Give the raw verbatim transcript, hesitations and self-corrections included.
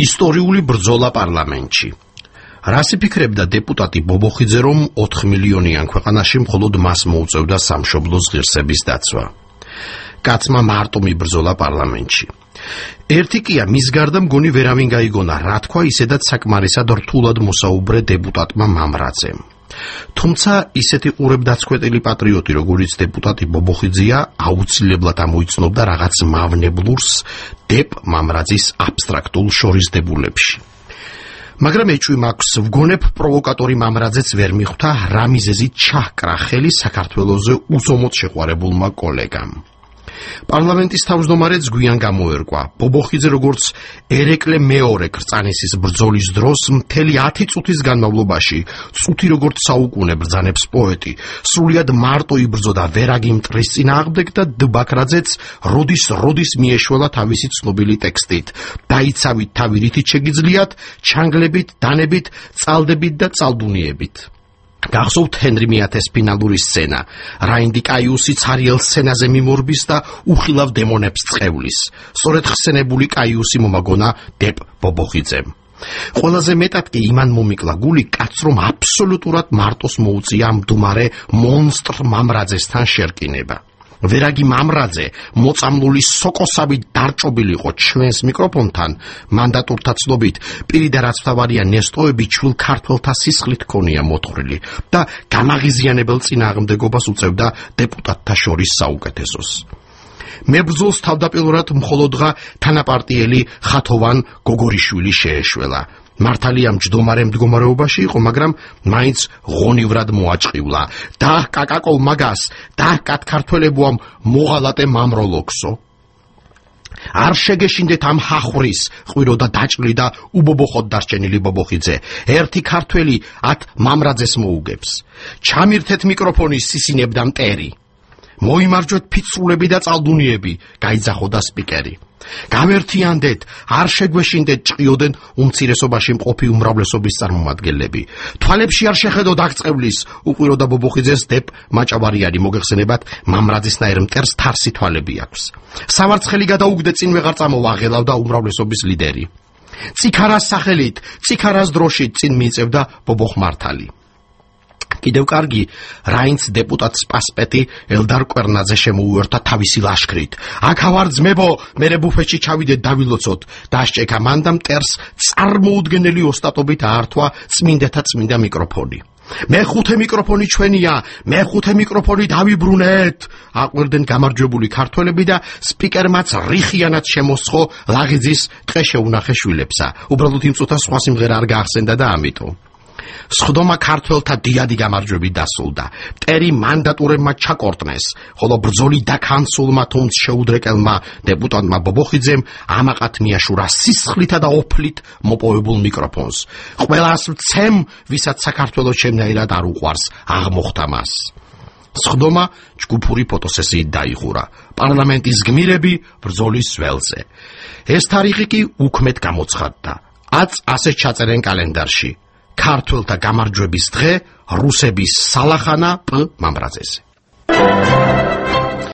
ისტორიული ბრძოლა პარლამენტში. რას იფიქრებდა დეპუტატი ბობოხიძე, რომ ოთხ მილიონიან ქვეყანაში მხოლოდ მას მოუწევდა სამშობლოს ღირსების დაცვა? კაცმა მარტო მიბრძოლა პარლამენტში. ერთი კია მის გარდა მგონი ვერავინ გაიგონა, რა თქვა ისედაც საკმარისად რთულად მოსაუბრე დეპუტატმა მამრაძემ. თუმცა ისეთი ყურებდაცქვეტილი პატრიოტი, როგორიც დეპუტატი ბობოხიძეა, აუცილებლად ამოიცნობდა რაღაც მავნებლურს დეპ მამრაძის აბსტრაქტულ შორისდებულებში. მაგრამ ეჭვი მაქვს, ვგონებ პროვოკატორი მამრაძეც ვერ მიხვდა რა მიზეზით ჩაჰკრა ხელი საქართველოზე უზომოდ შეყვარებულმა კოლეგამ. პარლამენტის თავმჯდომარეც გვიან გამოერკვა, ბობოხიძე როგორც ერეკლე მეორე კრწანისის ბრძოლის დროს მთელი ათი წუთის განმავლობაში, წუთი როგორც საუკუნე ბრძანებს პოეტი, სრულიად მარტო იბრძოდა ვერაგი მტრის წინააღმდეგ და դ ბაქრაძეც როდის როდის მიეშველა თავისი ცნობილი ტექსტით: დაიცავით თავი რითით შეგიძლიათ, ჩანგლებით, დანებით, წალდებით და წალდუნიებით. გახსოვთ ჰენრი მეათეს ფინალური სცენა. რაინდი კაიუსი ცარიელ სცენაზე მიმორბის და უხილავ დემონებს წევლის. სწორედ ხსენებული კაიუსი მომაგონა დეპ ბობოხიძემ. ყველაზე მეტად კი იმან მომიკლა გული კაცს, რომ აბსოლუტურად მარტოს მოუწია მდუმარე მონსტრ მამრაძესთან შერკინება. ვერაგი მამრაძე მოწამლული სოკოსავით დარჭობილი იყო ჩვენს მიკროფონთან, მანდატურთა ცნობით პირიდა რაც მთავარია ნესტოები ჩვილ ქართველთა სისხლით ქონია მოთხრილი და გამაღიზიანებელ წინააღმდეგობას უწევდა დეპუტატთა შორის საუკეთესოს. მებრძოლს თავდაპირველად მხოლოდღა თანაპარტიელი ხათოვან გოგორიშვილი შეეშველა. მართალია მჯდომარე მდგომარეობაში იყო, მაგრამ მაინც ღონივრად მოაჭყივლა. და კაკაკოლ მაგას, და კათ ქართველებუამ მოღალატე მამროლოქსო. არ შეგეშინდეთ ამ ჰახვრის, ყვიროდა დაჭრილი და უბობოხოდ დარჩენილი ბობოხიძე. ერთი ქართველი ათ მამრაძეს მოუგებს. ჩამირთეთ მიკროფონი სისინებდა მტერი. მოიმარჯვეთ ფიცრულები და წალდუნიები, გაიძახოდა სპიკერი. გამერთიანდეთ, არ შეგვეშინდეთ ჭყიოდენ უმცირესობაში მყოფი უმრავლესობის წარმომადგენლები. თვალებში არ შეხედოთ აღწყევლის, უყვიროდა ბობოხიძეს დეპ მაჭავარიანი, მოგეხსენებათ მამრაძისნაირ მტერს თარსი თვალები აქვს. სამარცხელი გადაუგდე წინ ვეღარ წამოვა, ღელავდა უმრავლესობის ლიდერი. ციქარას სახელით, ციქარას დროშით წინ მიიწევდა ბობოხმართალი. კიდევ კარგი, რაინც დეპუტატ სპასპეტი ელდარ კვერნაძე შემოუერთა თავისი ლაშქრით. აქა ვარ ძმებო, მერე ბუფეტში ჩავიდეთ დავილოცოთ. დასჭექა მან და მტერს წარმოუდგენელი ოსტატობით აართვა წმინდათა წმინდა მიკროფონი. მეხუთე მიკროფონი ჩვენია, მეხუთე მიკროფონი დავიბრუნეთ. აყვერდნენ გამარჯვებული ქართველები და სპიკერმაც რიხიანად შემოსხო ლაღიძის ტყე შეუნახე შვილებსა. უბრალოდ იმ წუთას სხვა სიმღერა არ გაახსენდა და ამიტომ სხდომა ქართველთა დიადი გამარჯვებით დასრულდა. მტერი მანდატურებმა ჩაკორტნეს, ხოლო ბრძოლი დაქანცულმა თუნდაც შეუდრეკელმა დეპუტატმა ბობოხიძემ ამაყად მიაშურა სისხლითა და ოფლით მოპოვებულ მიკროფონს. ყველას ვცემ, ვისაც საქართველოს შემნაირად არ უყვარს, აღმოხთა მას. სხდომა ჯგუფური ფოტოსესიით დაიხურა. პარლამენტის გმირები ბრძოლის ველზე. ეს თარიღი კი უქმედ გამოცხადდა. აწ ასე ჩაწერენ კალენდარში. ქართველთა გამარჯვების დღე, რუსების სალახანა პ მამრაძეზე.